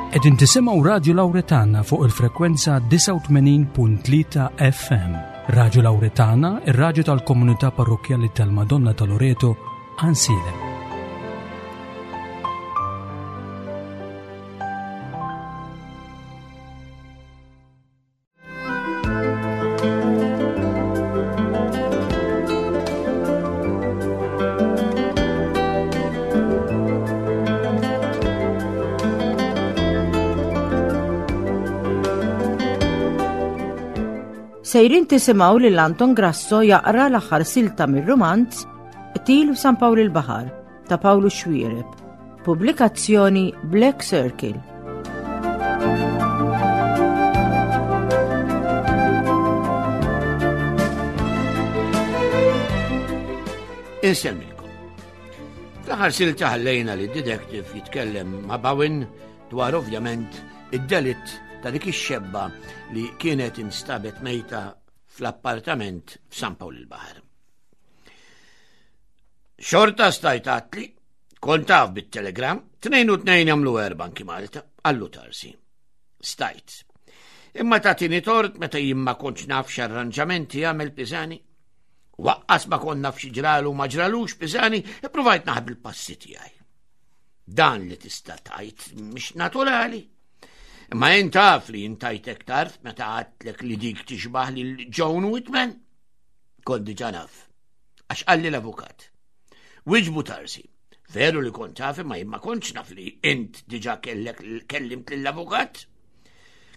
Qegħdin tisimgħu Radju Lawretana fuq il-frekwenza 89.3 FM. Radju Lawretana, ir-radju tal-komunità parrokkjali tal-Madonna ta' Loreto, Ansilem. Sejrin tisimgħu lil Anton Grasso jaqra l-aħħar silta mir-rumanz Qtil f'San Pawl il-Baħar ta' Pawlu Xwiereb. Pubblikazzjoni Black Circle. Insemmilkom. Fl-aħħar silta ħallejna li detective jitkellem ma' Bowen dwar ovvjament id-delitt ta' dik ix-xebba li kienet instabet mejta fl-appartament f'San Pawl il-Baħar. Xorta stajt għatli, kont taf bit-telegram, 2 u 2 jagħmlu erba' anki Malta, għallu tarsi. Stajt. Imma tagħtini tort meta jien ma kontx naf x'arranġamenti jagħmel Pisani. Waqqas ma kont naf xi ġralu ma ġralux Pisani, ippruvajt naħbi l-passi tiegħi. Dan li tista' tajt mhix naturali. Imma jien taf li jintajtek tard meta għadtlek li dik tixbaħ lil Joan Whitman. Kont diġà naf. Għax qalli l-avukat. Wiġbu Tarsi. Veru li kont taf imma jien ma kontx naf li int diġà kellek kellimt lill-avukat.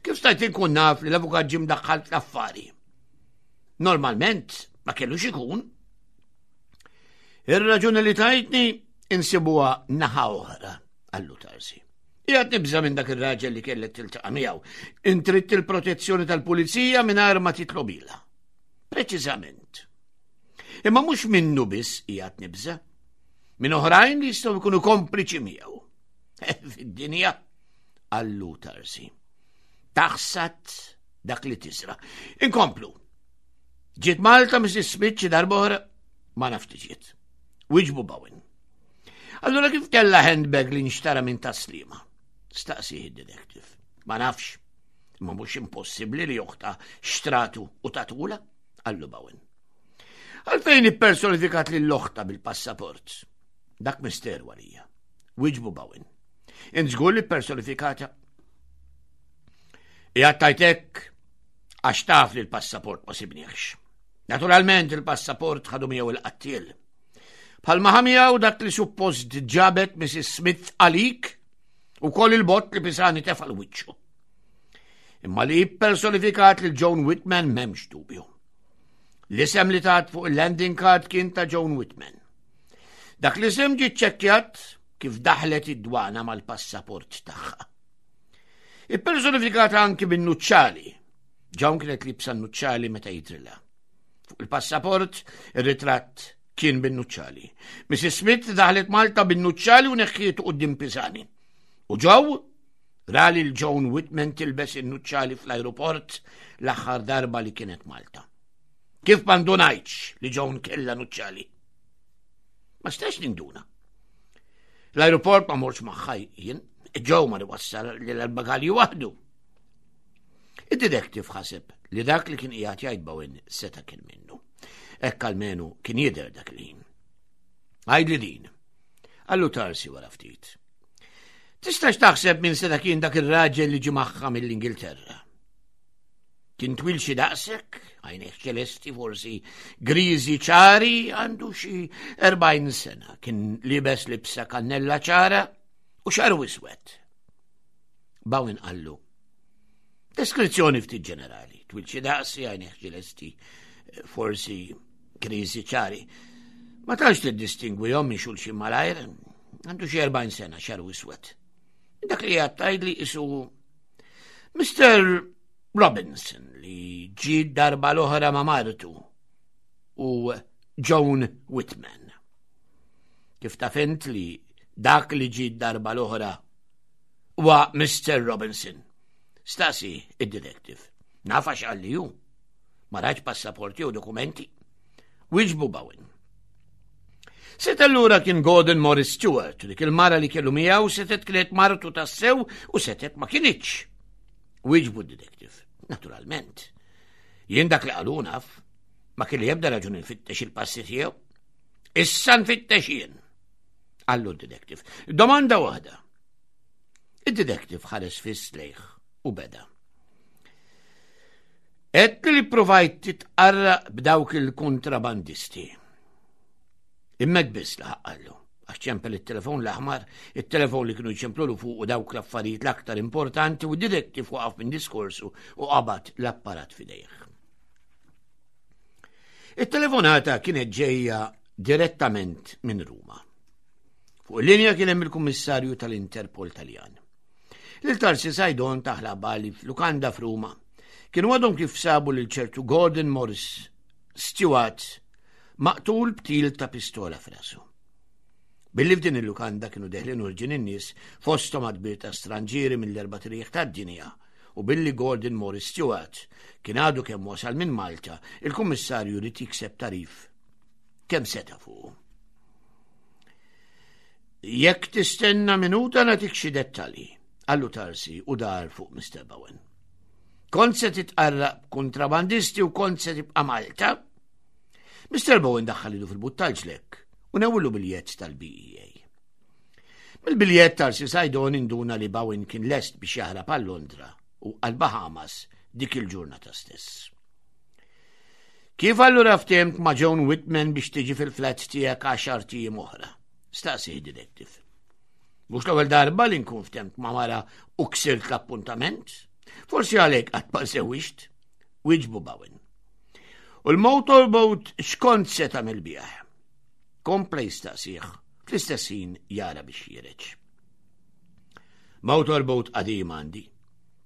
Kif stajt inkun naf li l-avukat ġie mdaħħal fl-affari? Normalment ma kellux ikun. Ir-raġuni li tajtni insibuha naħa oħra, qallu Tarsi. Qiegħed nibża' minn dak ir-raġel li kellek tiltaqa' miegħu. Intritt il-protezzjoni tal-pulizija mingħajr ma titlobilha. Preċiżament. Imma mhux minnu biss qiegħed nibża'. Minn oħrajn li jistgħu jkunu kompliċi miegħu. Eh, fid-dinja għallu tarsi. Taħsat dak li tisra. Inkomplu. Ġiet Malta Mrs. Smith xi darb'oħra ma nafx ġiet. Wiġbu Bowen. Allura kif kella handbag li nxtara minn taslima? Staqsi id-detective. Ma nafx. Ma mhux impossibbli li oħta xtratu u tatula, qallu Bowen. Għalfejn ippersonifikat lil oħta bil-passaport? Dak misteru għalija. Wiġbu Bowen. Int żgur li personifikata. Qiegħed tajtek għax taf li l-passaport ma sibniex. Naturalment il-passaport ħadu miegħu il-qattiel. Bħalma ħa miegħu dak li suppost ġabet Mrs. Smith għalik u koll il-bott li Pisani tefa' l-wiċċu. Imma li personifikat lil Joan Whitman m'hemmx dubju. L-isem li tat fuq il-landing card kien ta' Joan Whitman. Dak l-isem ġie ċċekkjat kif daħlet id-dwana mal-passaport tagħha. Ippersonifikata anki bin-nuċċali. Joan kienet libsa n-nuċċali meta jidrilha. Fuq il-passaport, ir-ritratt kien bin-nuċċali. Mrs. Smith daħlet Malta bin-nuċċali u neħħietu quddiem Pisani. U ġew ra lil Joan Whitman tilbes in-nuċċali fl-ajruport l-aħħar darba li kienet Malta. Kif ma ndunajtx li Joan kellha nuċċali? Ma stax ninduna. L-ajruport ma morx magħha jien, Joe ma wassal li l-bagalji waħdu. Id-detective ħaseb li dak li kien qiegħed jgħid Bowen seta' kien minnu. Hekk almenu kien jidher dak il-ħin. Għidli din. Għallu Tarsi wara ftit. Tistax taħseb minn seta kien dak ir-raġel li ġie magħha mill-Ingilterra. Kien twil xi daqsek, għajnejh ċelesti forsi griżi ċari, għandu xi 40 sena, kien libes libsa kannella ċara u xaru iswed. Bowen qallu, Deskrizzjoni ftit ġenerali, twil xi daqsi, għajnejh ċelesti, forsi kriżi ċari. Ma tantx tiddistingwihom minn xulxin malajr, għandu xi 40 sena xaru iswed. Dak li qed tgħidli isu Mr. Robinson li ġie darba l-oħra ma' martu u Joan Whitman. Kif taf int li dak li ġie darba l-oħra huwa Mr. Robinson? Staqsi id-detective. Naf għax qalli hu. Ma rajtx passaporti u dokumenti. Wiġbu Bowen. Seta allura kien Gordon Morris Stewart, dik il-mara li kellu miegħu setet kienet martu tassew u setet ma kinitx. Wieġbu d-detective, naturalment. Jien dak li qalu naf, ma kelli ebda raġuni nfittex il-passi tiegħu. Issa nfittex jien. Qallu d-detective. Domanda waħda. Id-detective ħares fiss lejh u beda. Għedt li provajt titqarraq b'dawk il-kontrabandisti. Imma hekk biss laħaq qallu, għax ċempel it-telefon l-aħmar, it-telefon li kienu jċemplulu fuq u dawk l-affarijiet l-aktar importanti u d-detective waqaf minn diskorsu u qabad l-apparat f'idejh. It-telefonata kienet ġejja direttament minn Ruma. Fuq il-linja kien hemm il-Kummissarju tal-Interpol Taljan. Lil Tarsi Sajdon taħla bali f'lukanda f'Ruma. Kienu għadhom kif sabu lil ċertu Gordon Morris Stewart maqtul b'til ta' pistola f'rasu. Billi f'din il-lukanda kienu deħlin urġin in-nies fosthom kbir ta' stranġieri mill-erba' triq tad-dinja u billi Gordon Morris Stewart kien għadu kemm wasal minn Malta, il-kummissarju ried jikseb tarif kemm seta' fuqu. Jekk tistenna minuta nagħtik xi dettalji, qallu Tarsi u dar fuq Mr. Bowen. Kont se titqarraq b'kontrabandisti u kont se tibqa' Malta? Mr. Bowen daħħal idu fil-but tal-ġlek u newwlu biljett tal-BEA. Mill-biljett Tarsi Sajdon induna li Bowen kien lest biex jaħrab għal Londra u għal Bahamas dik il-ġurnata stess. Kif allura ftimt ma' Joan Whitman biex tiġi fil-flat tiegħek għaxar tijiem oħra? Staqsi detective. Mhux l-ewwel darba li nkun ftemt ma' mara u ksirt l-appuntament. Forsi għalhekk qatt ma żewwiġt. Wieġbu Bowen. U l-motorboat x'kont se tagħmel bih? Kompla jistaqsih fl-istess ħin jara biex jireġ. Motorboat qadim għandi.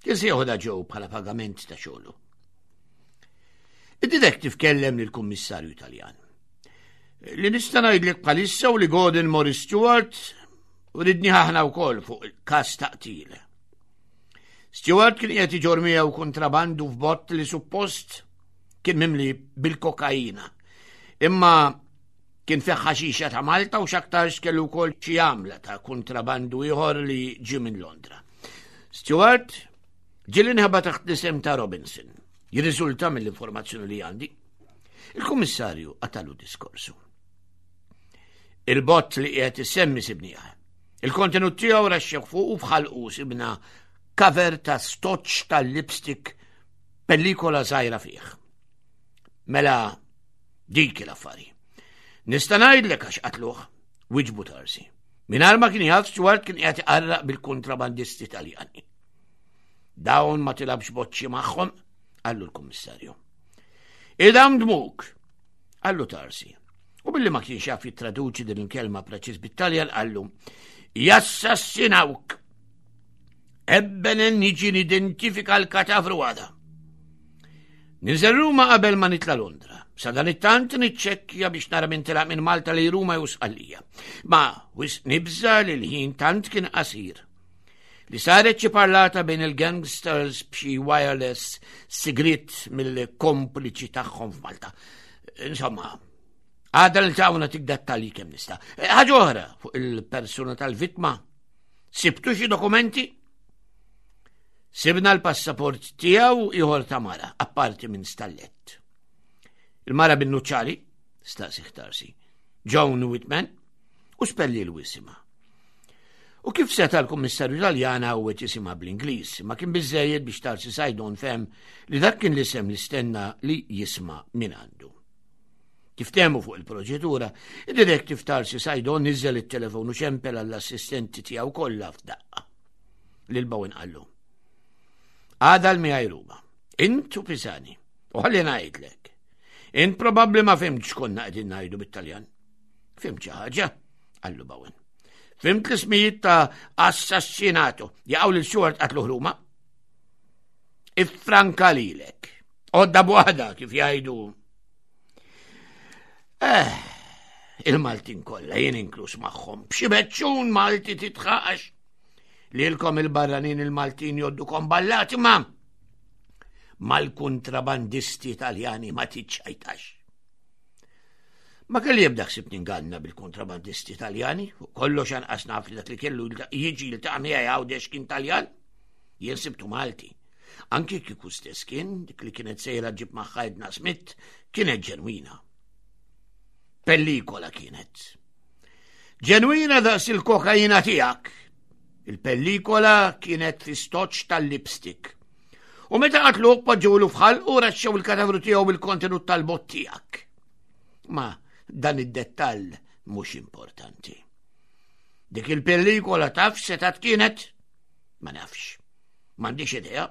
Kien se joħodha ġew bħala pagament ta' xogħlu. Id-detective kellem lill-kummissarju Taljan. Li nista' ngħidlek bħalissa u li Gordon Morris Stewart u ridni aħna wkoll fuq il-każ ta' qtil. Stewart kien qiegħed iġor miegħu kontrabandu f'bott li suppost kien mimli bil-kokaina. Imma kien fih ħaxixa ta' Malta u x'aktarx kellu wkoll xi għamla ta' kontrabandu ieħor li ġie minn Londra. Stewart ġieli nħeba taħt l-isem ta' Robinson. Jirriżulta mill-informazzjoni li għandi. Il-kummissarju qatalu diskorsu. Il-bott li qiegħed issemmi sibniha. Il-kontenut tiegħu raxxew fuq u bħalqu sibna cover ta' stoċ tal-lipstick pellikola żgħira fih. Mela dik l-affari. Nista' ngħidlek għax qatluh, wiġbu Tarsi. Mingħajr ma kien jaf Stuart kien qiegħed iqarraq bil-kontrabandisti Taljani. Dawn ma tilabx boċċi magħhom, qallu l-kummissarju. Idam dmuk, qallu Tarsi. U billi ma kienx jaf jittraduċi din il-kelma preċiż bit-Taljan qallu, jassassinawk. Ebbenen niġi nidentifika l-katavru għada. Ninżel Ruma qabel ma nitla Londra. Sa dan it-tant niċċekkja biex nara minn telaq minn Malta li Ruma jew Sqallija. Ma wis nibża li l-ħin tant kien qasir. Li saret xi parlata bejn il-gangsters b'xi wireless sigriet mill-kompliċi tagħhom f'Malta. Insomma, għadha niltaqgħu nagħtik dettalji kemm nista'. Ħaġa oħra fuq il-persuna tal-vittma. Sibtu xi dokumenti? Sibna l-passaport tiegħu ieħor ta' mara, apparti minn stallett. Il-mara bin-nuċċali, staqsi ħtarsi, Joan Whitman, u spelli l-wisima. U kif seta' l-Kummissarju Taljana għawweġ isimha bl-Ingliż, ma kien biżżejjed biex Tarsi Sajdon fehem li dak kien l-isem li stenna li jisma' minn għandu. Kif temu fuq il-proċedura, id-detective Tarsi Sajdon niżel it-telefon u ċempel għall-assistenti tiegħu kollha f'daqqa. Lil Bowen qallu. Għada l-miegħi Ruma. Int u Pisani. U ħalli ngħidlek. Int probabbli ma fimtx konna qegħdin ngħidu bit-Taljan. Fimt xi ħaġa, qallu Bowen. Fimt l-ismijiet ta' assassinato. Jaqgħu lil Stuart qatlu Ruma. Iffranka lilek. Odda b'waħda kif jgħidu. Eh, il-Maltin kollha jien inkluż magħhom. B'xi beċċun Malti titħaqax. Lilkom il-barranin il-Maltin joddukom ballati ma mal-kontrabandisti Taljani ma tiċċajtax. Ma kelli ebda ħsieb ninganna bil-kontrabandisti Taljani, fuq kollox anqas naf li dak li kellu jiġi jiltaqa' miegħi Għawdex kien Taljan. Jien sibtu Malti. Anki kieku stess kien, dik li kienet sejra ġib magħha Edna Smith, kienet ġenwina. Pellikola kienet. Ġenwina daqs il-kokaina tiegħek. Il-pellikola kienet fi stoċ tal-lipstick. U meta qatluh poġġewlu f'ħalqu raxxew il-katavru tiegħu bil-kontenut tal-bott tiegħek. Ma dan id-dettall mhux importanti. Dik il-pellikola taf setat kienet? Ma nafx. M'għandix idea.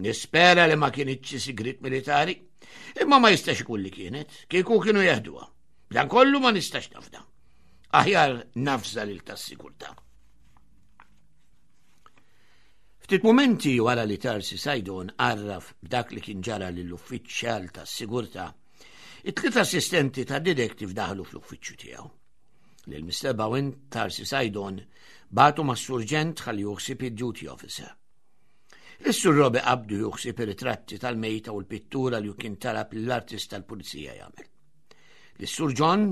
Nispera li ma kienitx sigrit militari, imma ma jistax ikun li kienet, kieku kienu jeħduha. Dan kollu ma nistax nafda. Aħjar nafża lil tas-sigurtà. Ftit mumenti wara li Tarsi Sajdon għarraf b'dak li kien ġara lill-uffiċjal tas-sigurtà, it-tliet assistenti ta' detective daħlu fl-uffiċċju tiegħu. Lil Mr. Bowen Tarsi Sajdon bagħtu mas-surġent ħalli juħsib id-duty officer. Is-sur Robi qabdu juħsib ir-ritratti tal-mejta u l-pittura li kien talab lill-artist tal-pulizija jagħmel. Lis-sur John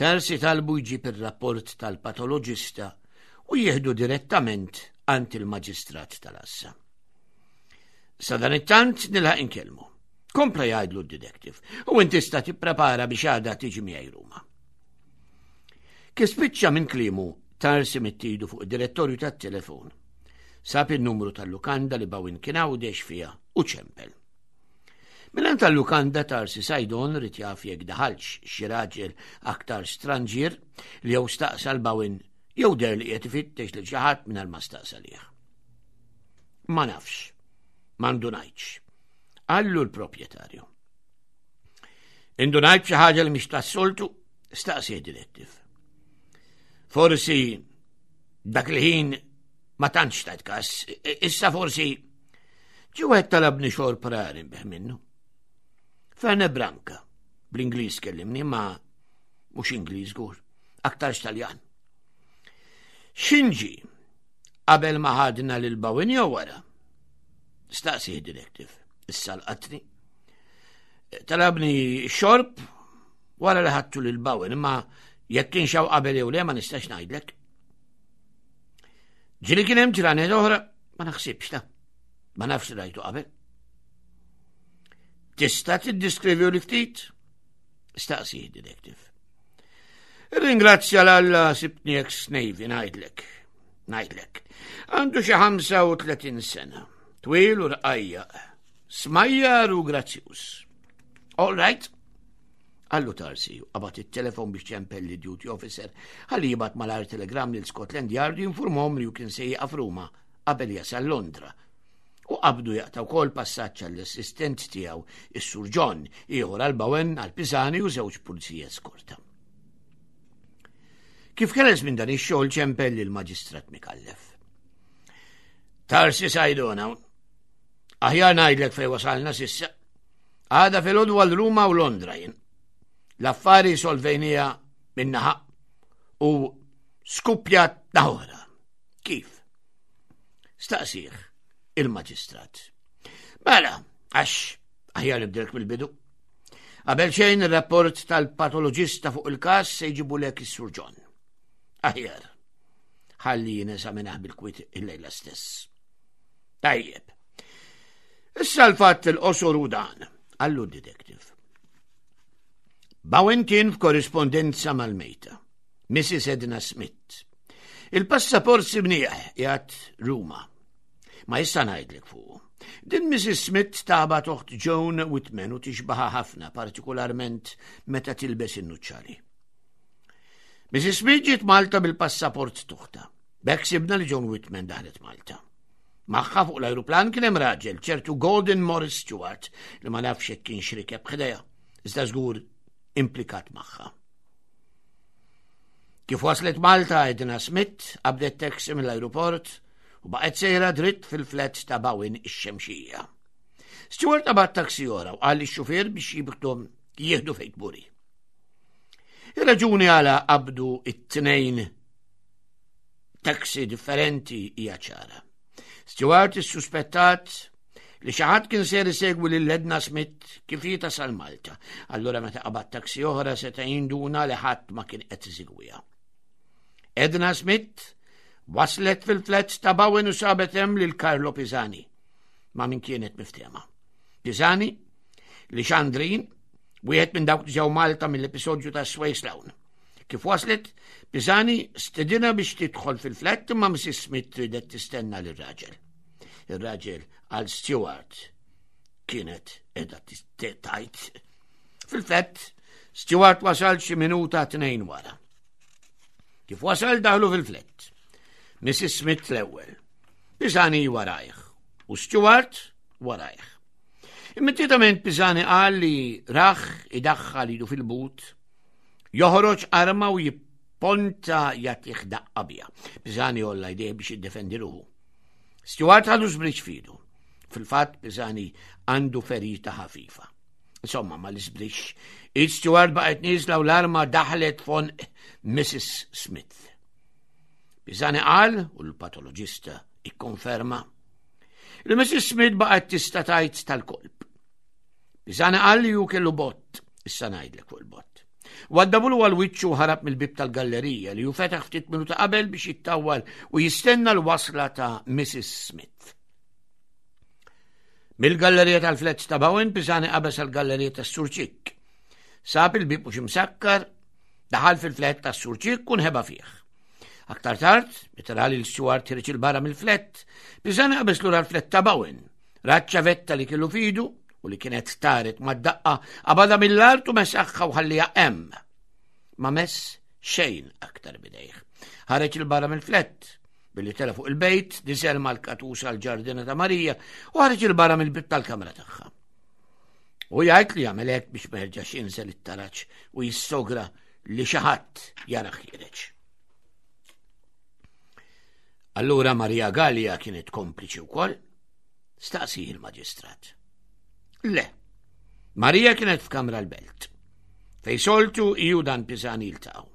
Tarsi talbu jġib ir-rapport tal-patoloġista u jieħdu direttament għand il-maġistrat tal-assa. Sadanittant nilħaq inkellmu. Kompla jgħidlu d-detective u inti tista' tipprepara biex għada tiġi miegħi Ruma. Kif spiċċa minn kliemu Tarsi mittidu fuq id-direttorju tat-telefon. Sab in-numru tal-lukanda li Bawin kien għawdex fiha u ċempel. Milan tal-lukanda Tarsi Sajdon rid jaf jekk daħalx xi raġel aktar stranġier li jew staqsa l-Bawin jew der li qed ifittex lil xi ħadd mingħajr ma staqsa lih. Ma nafx, ma ndunajtx. Qallu l-proprjetarju. Indunajt xi ħaġa li mhix tas-soltu, staqsi direttiv. Forsi dak il-ħin ma tantx tajt kas, issa forsi ġi wieħed talabni xorb rari bih minnu. Ferne Branka, bl-Ingliż kellimni ma mhux Ingliż żgur, aktarx Taljan. Xinġi qabel ma ħadna lil Bawin jew wara? Staqsi directive, issa l-qatni. Talabni xorb wara li ħadtu lil Bawin, imma jekk kien xaw qabel jew le ma nistax ngħidlek. Ġili kien hemm ġranet oħra, ma naħsibx ta' ma nafx rajtu qabel. Tista' tiddiskrivi li ftit? Staqsi detective. Ringrazzja l-Alla sibtni ex-Navy ngħidlek. Ngħidlek. Għandu xi 35 sena. Twil u rqajja. Smajjar u grazzjuż. All right. Allu Tarsi, qabad it-telefon biex ċempel li duty officer ħalli jibgħat malar telegram lil Scotland Yard jinformhom li kien se jieqaf Ruma qabel jasal Londra. U qabdu jaqta' wkoll passaġġ għall-assistent tiegħu, is-Sur John, ieħor għal Bowen, għal Pisani u żewġ pulizija eskorta. Kif keles minn dan ix-xogħol ċempel lil maġistrat Mikallef. Tarsi sajdona, aħjar ngħidlek fejn wasalna sissa. Għada fil-għodu għal Ruma u Londra jien. L-affari solvejnija minnaħa u skuppjat naħoħra. Kif? Staqsih il-maġistrat. Mela, għax aħjar nibdilk mill-bidu. Qabel xejn ir-rapport tal-patoloġista fuq il-każ se jġibu lek is-Sur John. Aħjar. Ħalli jinesaminaħ bil-kwit il-lejla stess. Tajjeb. Issa l-fatt il-qosor u dan, għallu detective. Bowen kien f'korrispondenza mal-mejta, Mrs. Edna Smith. Il-passaport sibnieh jgħat Ruma. Ma issa ngħidlek fuq. Din Mrs. Smith taba toħt Joan Whitman u tixbaħa ħafna, partikolarment meta tilbes in-nuċċali. Mrs. Smith ġiet Malta bil-passaport tuħta. B'hekk sibna li Joan Whitman daħlet Malta. Magħha fuq l-ajruplan kien hemm raġel, ċertu Gordon Morris Stewart, li ma nafx jekk kienx rikeb ħdejha, iżda żgur implikat magħha. Kif waslet Malta Edna Smith qabdet taxi mill-ajruport u baqgħet sejra dritt fil-flat ta' Bawin ix-Xemxija. Stewart qabad taxi oħra u qal lix-xufier biex jibħdhom jieħdu fejn tburi. Ir-raġuni għala qabdu it-tnejn taxi differenti hija ċara. Stewart issuspettat li xi ħadd kien ser isegwi lil Edna Smith kif hi tasal Malta. Allura meta qabad taxi oħra seta' jinduna li ħadd ma kien qed isegwiha. Edna Smith waslet fil-flats ta' Bowen u sabet hemm lil Carlo Pisani ma' min kienet miftehma. Pisani li Xandrin, wieħed minn dawk li ġew Malta mill-episodju ta' Sway Sloan. Kif waslet, Pisani stedina biex tidħol fil-flat imma Mrs. Smith ridet tistenna lir-raġel. Ir-raġel għal Stewart kienet edha tajt. Fil-fatt, Stewart wasal xi minuta tnejn wara. Kif wasal daħlu fil-flett. Mrs. Smith l-ewwel. Pisani warajh u Stewart warajh. Immedjatament Pisani qal li raħ idaħħal idu fil-but, joħroġ arma u jipponta jagħtih daqqa biha. Pisani olla jdejh biex jiddefendi ruħu. Stewart ħadu żbriċ fidu. Fil-fatt Pisani għandu ferita ħafifa. Insomma, ma l-isbrix. Id Stewart baqgħet nieżla u l-arma daħlet fon Mrs. Smith. Pisani qal, u l-patoloġista ikkonferma, li Mrs. Smith baqgħet tista' tgħid tal-kolb. Pisani qal li hu kellu bott, issa ngħidlek fuq il-bott. Waddabulu għal wiċċu ħarab mill-bib tal-gallerija li hu fetaħ ftit minuta qabel biex jittawwal u jistenna l-wasla ta' Mrs. Smith. Mill-gallerija tal-flets ta' Bowen Pisani qabeż għall-gallerija tas-Sur Ċikk. Sab il-bib mhux imsakkar, daħal fil-flet tas-Sur Ċikk u nħeba fih. Aktar tard, meta ra lil Stuart ħireġ il-barra mill-flet, Pisani qabeż lura l-flet ta' Bowen. Ra ċ-ċavetta li kellu fidu u li kienet taret mad-daqqa qabadha mill-art u mesaħħa u ħalliha hemm. Ma mess xejn aktar bidejh. Ħareġ il-barra mill-flet, Billi tela fuq il-bejt, niżel mal-katus għal-ġardina ta' Marija u ħareġ il-barra mill-bib tal-kamra tagħha. U jgħid li jagħmel hekk biex ma jerġax jinżel it-taraġ u jissogra li xi ħadd jara ħiereġ. Allura Maria Gallia kienet kompliċi wkoll? Staqsi il-maġistrat. Le, Marija kienet f'kamra l-belt. Fej soltu iju dan Pisani jiltaqgħu.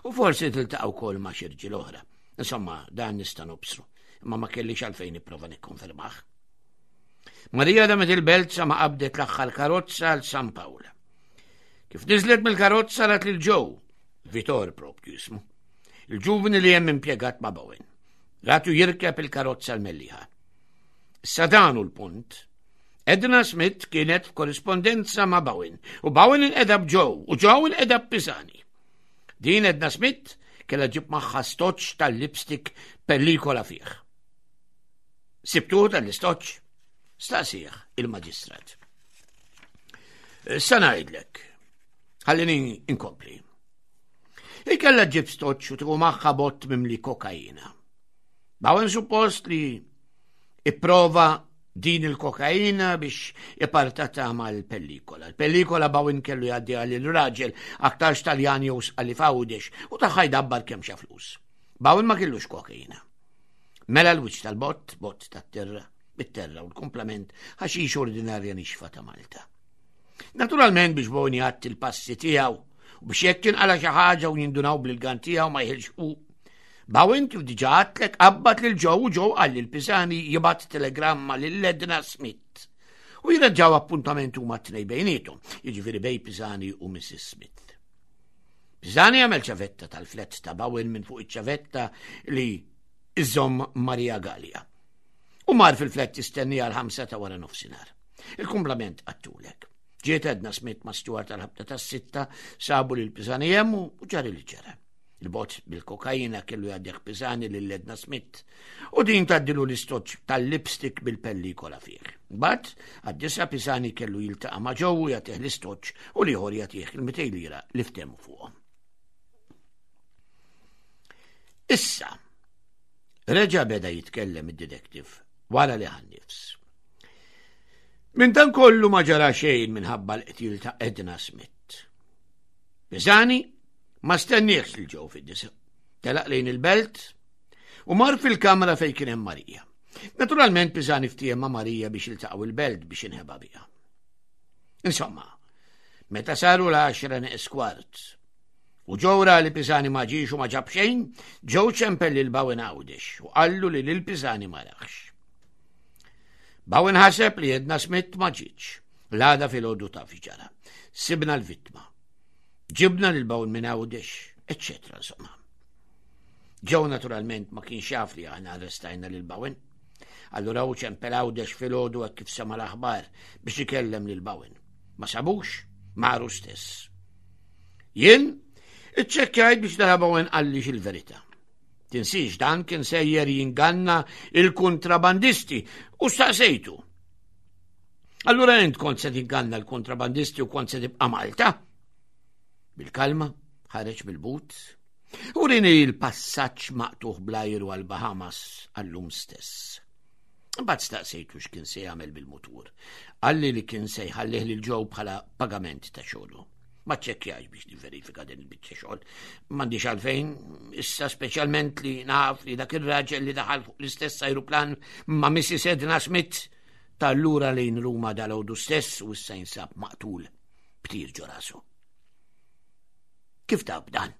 U forsi tiltaqgħu wkoll ma' xi rġiel oħra. Insomma, dan nista' nobsru, imma ma kellix għalfejn nipprova nikkonfermah. Marija damet il-belt sa ma qabdet l-aħħar karozza għal San Pawl. Kif niżlet mill-karozza rat lil Joe, Vitor propju jismu, il-ġuvni li hemm impjegat ma' Bowen. Ratu jirkeb il-karozza l-melliħa. Issa dan hu l-punt. Edna Smith kienet f'korrispondenza ma' Bowen u Bowen inqeda b'Joe u Joe inqeda b'Pisani. Din Edna Smith kellha ġib magħha stoċ tal-lipstick pellikola fih. Sibtuh tal-istoċ? Staqsih il-maġistrat. Sa ngħidlek, ħallini inkompli. Ikella ġib stoċ u tieħu magħha bott mimli kokaina. Bawen suppost li ipprova din il-kokaina biex ipartata mal-pellikola. Il-pellikola Bowen kellu jgħaddi għal il-raġel aktarx Taljan jew sqalli f'Għawdex u taħħa jdabbar kemm xa flus. Bowen ma kellux kokaina. Mela l-wiċċ tal-bott, bott tat-terra, bit-terra u l-kumplament ħaxix ordinarja nixfa ta' Malta. Naturalment biex Bowen jgħatti l-passi tiegħu u biex jekk tinqala xi ħaġa u jindunaw bil-gan tiegħu ma jħilx u Bowen kif diġà għadtlek qabbad lil Joe u Joe qal lil Pisani jibgħat telegramma lil Edna Smith u jirraġġaw appuntament huma t-tnej bejniethom, jiġifieri bej Pisani u Mrs. Smith. Pisani għamel ċavetta tal-flett ta' Bowen minn fuq iċ-ċavetta li iżomm Maria Gallia. U mar fil-flett jistenni għal ħamsa ta' wara nofsinhar. Il-kumplament għattulek. Ġiet Edna Smith ma' Stuart tal-ħabta tas-sitta sabu lil Pisani hemm u ġari li ġara. Il-bot bil-kokaina kellu jgħaddih Pisani lil Edna Smith u din tgħaddilu l-istoċ tal-lipstick bil-pellikola fih. Mbagħad għad-disa Pisani kellu jiltaqa' ma' Joe u jagħtih l-istoċ u l-ieħor jagħtih il-200 lira li ftehmu fuqhom. Issa, reġa' beda jitkellem id-detective wara li ħa nifs. Minn dan kollu ma ġara xejn minħabba l-qtil ta' Edna Smith. Pisani Ma stenniex lil Joe fid-disa. Telaq lejn il-belt u mar fil-kamra fejn kien hemm Marija. Naturalment Pisani ftiehem ma' Marija biex iltaqgħu il-belt biex inħeba biha. Insomma, meta saru l-10 neqs kwart u Joe ra li Pisani ma ġiex u ma ġab xejn, Joe ċempel lil Bowen Għawdex u qallu li lil Pisani ma raħx. Bowen ħaseb li Edna Smith ma ġietx. L-għada filgħodu taf ġara. Sibna l-vittma. Ġibna lil Bowen minn Għawdex, eċċetera insomma. Joe naturalment ma kienx jaf li aħna arrestajna lil Bowen. Allura hu ċempel Għawdex filgħodu hekk kif sema l-aħbar biex ikellem lil Bowen. Ma sabux, maru stess. Jien iċċekkjajt biex nara Bowen qallix il-verità. Tinsiex dan kien sejjer jinganna il-kontrabandisti u staqsejtu. Allura int kont se tinganna l-kontrabandisti u kont se tibqa' Malta? Bil-kalma, ħareġ bil-but, u rini l-passaġġ maqtuħ bl-ajru għal Bahamas għallum stess. Imbagħad staqsejtu x'kien se jagħmel bil-mutur. Qalli li kien se jħallih lil Joe bħala pagament ta' xogħlu. Ma ċċekkjax biex nivverifika din il-biċċa xogħol. M'għandix għalfejn, issa speċjalment li naf li dak ir-raġel li daħal fuq l-istess ajruplan ma' Mrs. Edna Smith tal-lura lejn Ruma dal-għodu stess u issa jinsab maqtul b'tir ġo rasu. Kif taf dan?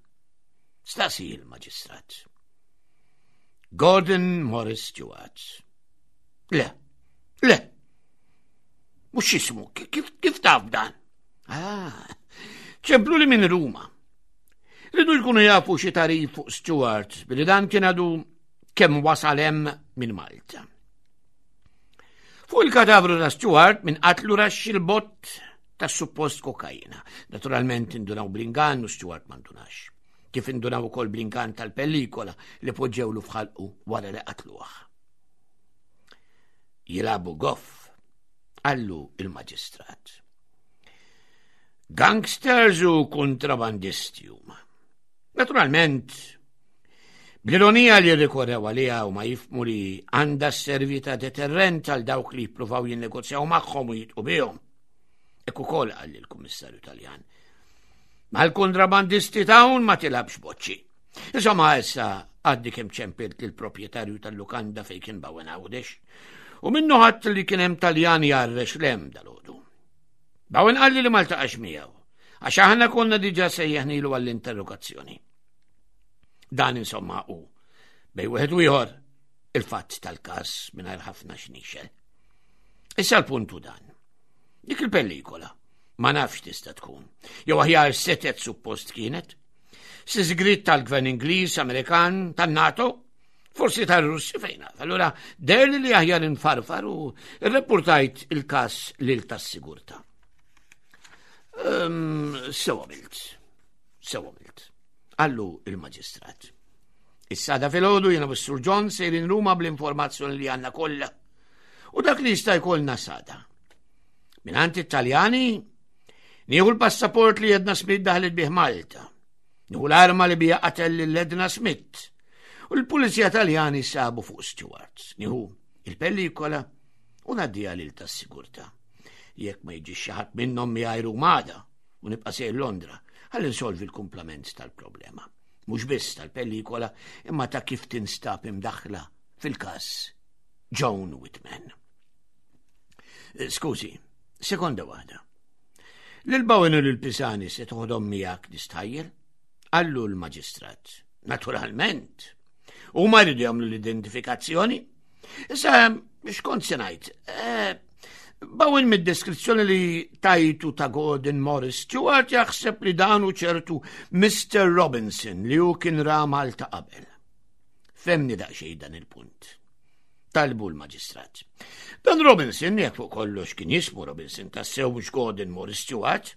Staqsi il-maġistrat. Gordon Morris Stewart. Le, le, mux jismu, kif, kif taf dan? Ah, ċemplu li minn Ruma. Ridu jkunu jafu xi tarif fuq Stewart billi dan kien għadu kemm wasal hemm minn Malta. Fuq il-katavru ta' Stewart minn qatlu raxx il-bott ta' suppost kokaina. Naturalment indunaw bl-ingann u Stewart ma ndunax. Kif indunaw ukoll bl-ingann tal-pellikola li poġġewlu f'ħalqu wara li qatluh. Jilabu goff, qallu il-maġistrat. Gangsters u kontrabandisti huma. Naturalment, bl-ironija li rikorrew għaliha u ma jifmu li għandha sservi ta' deterrent għal dawk li jippruvaw jinnegozjaw magħhom u jitqu bihom. Ekku ukoll qal il-Kummissarju Taljan. Mal-kontrabandisti t'hawn ma tilabx boċċi. Insomma, issa għaddi kemm ċempilt lill-proprjetarju tal-lukanda fejn kien Bowen Għawdex u minnu ħadd li kien hemm Taljan jarrex lem dalodu. Bowen qalli li ma ltaqax miegħu għax aħna konna diġà sejjaħnilu għall-interrogazzjoni. Dan insomma hu bej wieħed u ieħor il-fatt tal-każ mingħajr ħafna xnixel. Issa l-puntu dan. Dik il-pellikola ma nafx tista' tkun. Jew aħjar setet suppost kienet. Sigriet tal-gvern Ingliż, Amerikan, tan-NATO, forsi tar-Russi fejn naf. Allura derli li aħjar infarfar u rreppurtajt il-każ lil tas-sigurtà. Ehm, sew għamilt, sew għamilt. Qallu il-maġistrat. Issa da filgħodu jiena u John sejrin Ruma bl-informazzjoni li għandna kollha. U dak li jista' jkollna sada. Minant it-Taljani, nieħu l-passaport li Edna Smith daħlet bih Malta. Nieħu l-arma li bija qatel lil Edna Smith. U l-Pulizija Taljani sabu fuq Stewart. Nieħu il-pellikola u ngħaddiha lil tas-sigurtà. Jekk ma jiġix xi ħadd minnhom miegħi Rumada u nibqa' sejr Londra, ħalli nsolvi l-kumplament tal-problema. Mhux biss tal-pellikola, imma ta' kif tinstab imdaħħla fil-każ Joan Whitman. Eh, skużi, sekonda waħda. Lil Bowen u lil Pisani se toħodhom miegħek nistħajjel? Qallu l-maġistrat. Naturalment. U ma jridu jagħmlu l-identifikazzjoni. Issa, x'kont se ngħid? Eh, Bowen mid-deskrizzjoni li tajtu ta' Gordon Morris Stewart jaħseb li dan hu ċertu Mr. Robinson li hu kien ra Malta qabel. Femni daqsxejn dan il-punt. Talbu l-maġistrat. Dan Robinson, jekk fuq kollox kien jismu Robinson tassew mhux Gordon Morris Stewart,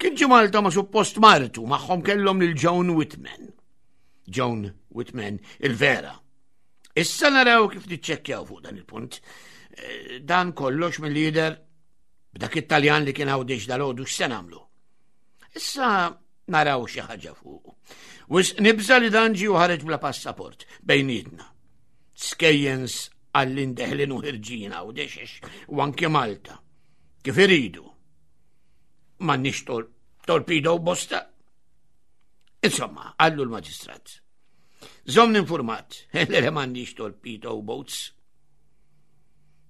kien ġie Malta ma' suppost martu magħhom kellhom lil Joan Whitman. Joan Whitman il-vera. Issa naraw kif niċċekkjaw fuq dan il-punt. Eh, dan kollox mill-lider b'dak it-Taljan li kien għawdix dal-għodu x'se nagħmlu. Issa naraw xi ħaġa fuq. Wis nibża li dan ġie ħareġ bla passaport bejnietna. Skejjens għallin deħlin u ħirġin Għawdex u anke Malta. Kif iridu. M'għandniex tor torpedo bosta. Insomma, għallu l-maġistrat. Zomni informat, li m'għandix torpedo boats.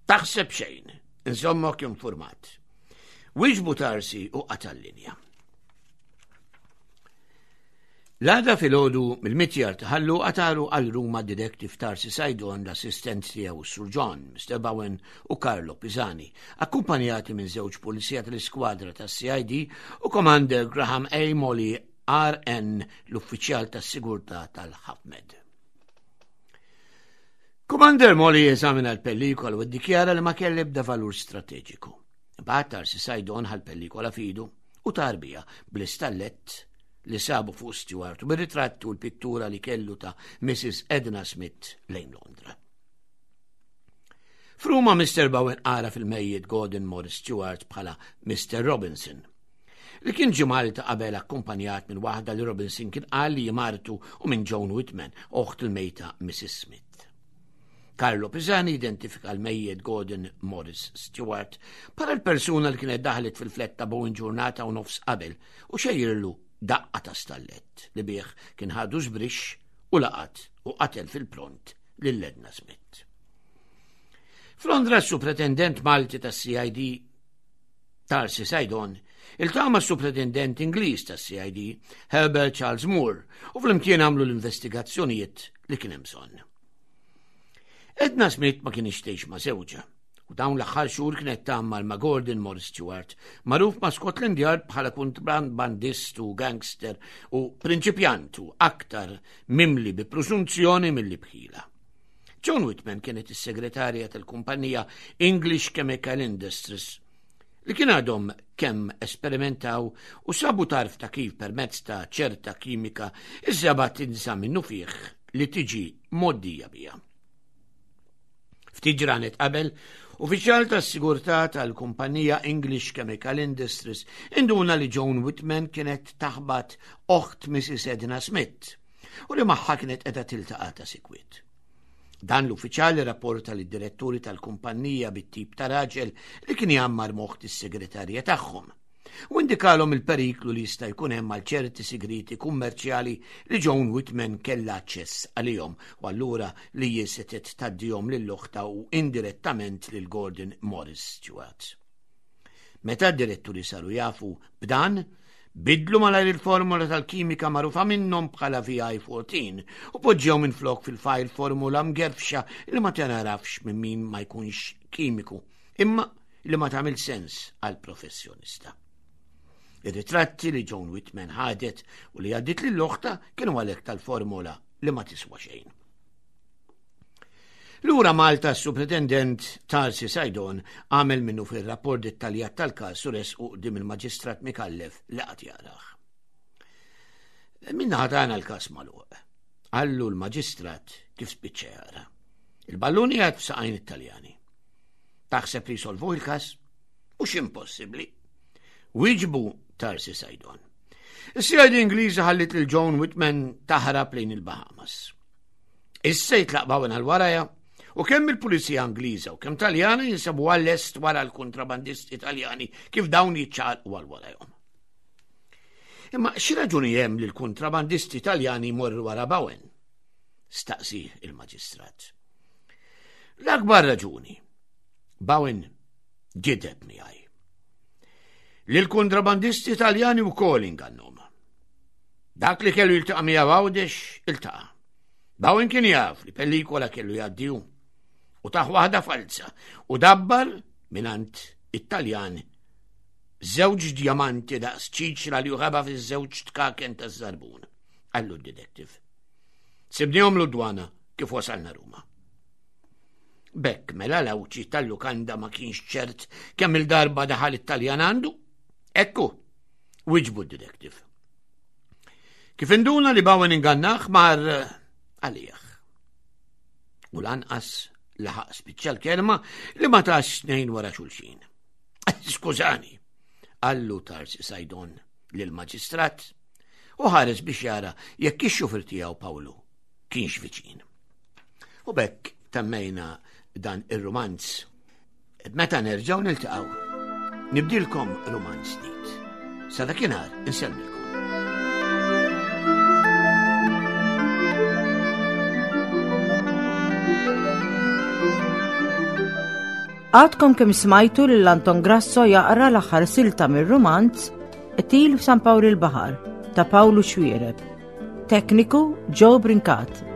Taħseb xejn, insomma informat. Wieġbu tarsi u qata' l-linja. L-għada filgħodu mill-mitjar ta' Ħal Luqa taru għal Ruma d-Detective Tarsi Saydon, l-assistent tiegħu s-Sur John, Mr. Bowen u Carlo Pisani, akkumpanjati minn żewġ pulizija tal-iskwadra tas-CID u Commander Graham A. Molly RN, l-uffiċjal tas-sigurtà tal-Hafmed. Commander Molly eżamina l-pellikola u ddikjara li ma kell ebda valur strateġiku. Imbagħad Tarsi Saydon ħa l-pellikola f'idu u tar biha bl-istallett li sabu fuq Stewart u bir-ritratt u l-pittura li kellu ta' Mrs. Edna Smith lejn Londra. F'Ruma Mr. Bowen qara fil-mejjet Gordon Morris Stewart bħala Mr. Robinson, li kien ġie Malta qabel akkumpanjat minn waħda li Robinson kien qal li martu u minn Joan Whitman, oħt il-mejta Mrs. Smith. Carlo Pisani identifika l-mejjet Gordon Morris Stewart bħala l-persuna li kienet daħlet fil-flett ta' Bowen ġurnata u nofs qabel u xejjirlu daqqa ta' stallett li bih kien ħadu żbrixx u laqat u qatel fil-pront lil Edna Smith. F'Londra s-Supretendent Malti tas-CID Tarsi Saydon iltaqa' mas-Supretendent Ingliż tas-CID Herbert Charles Moore u flimkien għamlu l-investigazzjonijiet li kien hemm bżonn. Edna Smith ma kienx tgħix ma' żewġha u dawn l-aħħar xhur kienet tgħammar ma' Gordon Morris Stewart, magħruf ma' Scotland Yard bħala kontrabandist u gangster u prinċipjant u aktar mimli bi prusunzjoni milli bħila. Joan Whitman kienet is-segretarja tal-kumpanija English Chemical Industries li kien għadhom kemm esperimentaw u sabu tarf ta' kif permezz ta' ċerta kimika iż-żebgħa tinsa minnu fih li tiġi mgħoddija biha. Ftit ġranet qabel, uffiċjal tas-sigurtà tal-kumpanija English Chemical Industries induna li Joan Whitman kienet taħbat oħt Mrs. Edna Smith u li magħha kienet qiegħda tiltaqa' ta' sikwit. Dan l-uffiċjal irrapporta lid-diretturi tal-kumpannija bit-tip ta' raġel li kien jgħammar moħħ is-segretarja tagħhom u indikalhom il-periklu li jista' jkun hemm għal ċerti sigrieti kummerċjali li Joan Whitman kellha aċċess għalihom u allura li hi setgħet tgħaddihom lil oħtha u indirettament lil Gordon Morris Stewart. Meta d-diretturi saru jafu b'dan, bidlu malajr il-formula tal-kimika magħrufa minnhom bħala VI-14 u poġġew minflok fil-fajl formula mgerfxa li ma tingħarafx minn min ma jkunx kimiku, imma li ma tagħmel sens għal professjonista. Ir-ritratti li Joan Whitman ħadet u li għaddit lil oħta kienu għalhekk tal-formula li ma tiswa xejn. Lura Malta s-Supretendent Tarsi Saydon għamel minnu fir-rapport dettaljat tal-każ u resqu quddiem il-Maġistrat Micallef li qagħad jarah. Min-naħa tagħna l-każ magħluq. Qallu l-Maġistrat kif spiċċa jara. Il-ballun qiegħed f'saqajn it-Taljani. Taħseb li jsolvuh il-każ? Mhux impossibbli. Wieġbu Tarsi Saydon. Is-CID Ingliża ħallit lil Joan Whitman taħrab lejn il-Bahamas. Issa jitlaq Bowen għal warajha u kemm il-pulizija Ingliża u kemm Taljana jinsabu għall-est wara l-kontrabandisti Taljani kif dawn jiċċaqalqu għal warajhom. Imma xi raġuni hemm li l-kontrabandisti Taljani jmorru wara Bowen? Staqsi il-maġistrat. L-akbar raġuni. Bowen gideb miegħi. Li l-kontrabandisti Taljani wkoll ingannhom. Dak li kellu jiltaqa' miegħu Għawdex iltaqa'. Bowen kien jaf li pellikola kellu jgħaddi hu u taħ waħda falza u dabbar minant it-Taljan żewġ djamanti daqs ċiċra li uħaba fiż-żewġ tkaken taż-żarbun, qallu d-detective. Sibnihom l-dwana kif wasalna Ruma. Bekk mela l-awċi tal-lukanda ma kienx ċert kemm il-darba daħal it-Taljan għandu. Ekku, wiġbu d-detective. Kif induna li Bowen ingannaħ mar eh, għalih. U lanqas laħaq spiċċa l-kelma li ma tax snejn wara xulxin. Skużani, għallu Tarsi Sajdon lill-maġistrat u ħares biex jara jekk ix-xufir tiegħu Pawlu kienx viċin. U bekk temmejna dan ir-rumanz Meta nerġgħu niltaqgħu, nibdilkom rumanz ġdid. Sa dakinhar insellmilkom. Għadkom kemm smajtu lil Anton Grasso jaqra l-aħħar silta mir-rumanz Qtil f'San Pawl il-Baħar ta' Pawlu Xuereb. It-tekniku Joe Brincat.